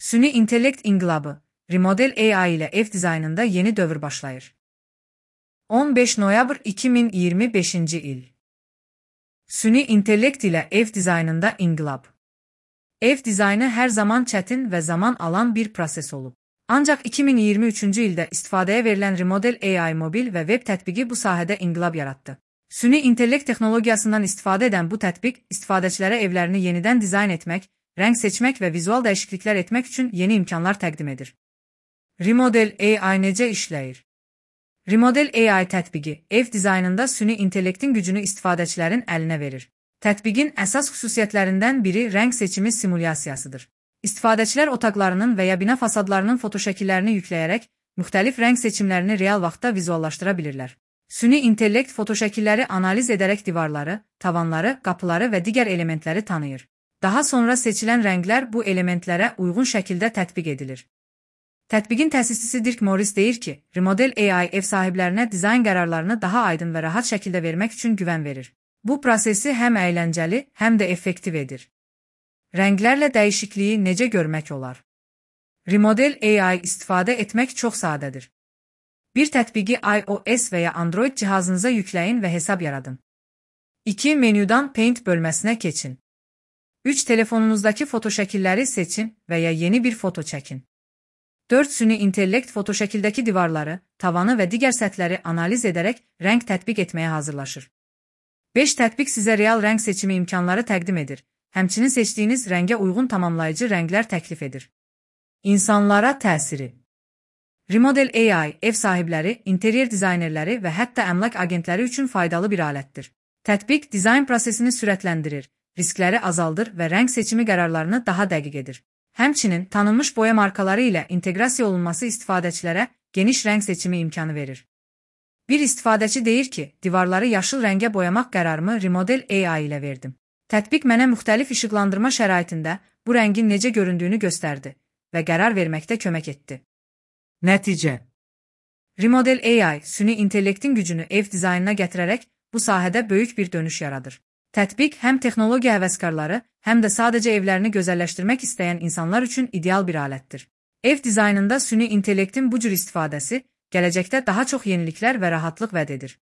Süni intellekt inqilabı, Remodel AI ile ev dizaynında yeni dövr başlayır. 15 noyabr 2025 il. Süni intellekt ile ev dizaynında inqilab. Ev dizaynı her zaman çətin və zaman alan bir proses olub. Ancaq 2023-cü ildə istifadəyə verilən Remodel AI mobil və web tətbiqi bu sahədə inqilab yaratdı. Süni intellekt texnologiyasından istifadə edən bu tətbiq istifadəçilərə evlərini yenidən dizayn etmək, rəng seçmək və vizual dəyişikliklər etmək üçün yeni imkanlar təqdim edir. Remodel AI necə işləyir? Remodel AI tətbiqi ev dizaynında süni intellektin gücünü istifadəçilərin əlinə verir. Tətbiqin əsas xüsusiyyətlərindən biri rəng seçimi simulyasiyasıdır. İstifadəçilər otaqlarının və ya bina fasadlarının fotoşəkillərini yükləyərək müxtəlif rəng seçimlərini real vaxtda vizuallaşdıra bilirlər. Süni intellekt fotoşəkilləri analiz edərək divarları, tavanları, qapıları və digər elementləri tanıyır. Daha sonra seçilən rənglər bu elementlərə uyğun şəkildə tətbiq edilir. Tətbiqin təsisçisi Dirk Morris deyir ki, Remodel AI ev sahiblərinə dizayn qərarlarını daha aydın və rahat şəkildə vermək üçün güvən verir. Bu prosesi həm əyləncəli, həm də effektiv edir. Rənglərlə dəyişikliyi necə görmək olar? Remodel AI istifadə etmək çox sadədir. Bir tətbiqi iOS və ya Android cihazınıza yükləyin və hesab yaradın. 2. Menyudan Paint bölməsinə keçin. 3. Telefonunuzdakı fotoşəkilləri seçin və ya yeni bir foto çəkin. 4. Süni intellekt fotoşəkildəki divarları, tavanı və digər səthləri analiz edərək rəng tətbiq etməyə hazırlaşır. 5. Tətbiq sizə real rəng seçimi imkanları təqdim edir. Həmçinin seçdiyiniz rəngə uyğun tamamlayıcı rənglər təklif edir. İnsanlara təsiri. Remodel AI ev sahibləri, interyer dizaynerləri və hətta əmlak agentləri üçün faydalı bir alətdir. Tətbiq dizayn prosesini sürətləndirir, riskləri azaldır və rəng seçimi qərarlarını daha dəqiq edir. Həmçinin tanınmış boya markaları ilə inteqrasiya olunması istifadəçilərə geniş rəng seçimi imkanı verir. Bir istifadəçi deyir ki, divarları yaşıl rəngə boyamaq qərarımı Remodel AI ilə verdim. Tətbiq mənə müxtəlif işıqlandırma şəraitində bu rəngin necə göründüyünü göstərdi və qərar verməkdə kömək etdi. Nəticə. Remodel AI süni intellektin gücünü ev dizaynına gətirərək bu sahədə böyük bir dönüş yaradır. Tətbiq həm texnologiya həvəskarları, həm də sadəcə evlərini gözəlləşdirmək istəyən insanlar üçün ideal bir alətdir. Ev dizaynında süni intellektin bu cür istifadəsi gələcəkdə daha çox yeniliklər və rahatlıq vəd edir.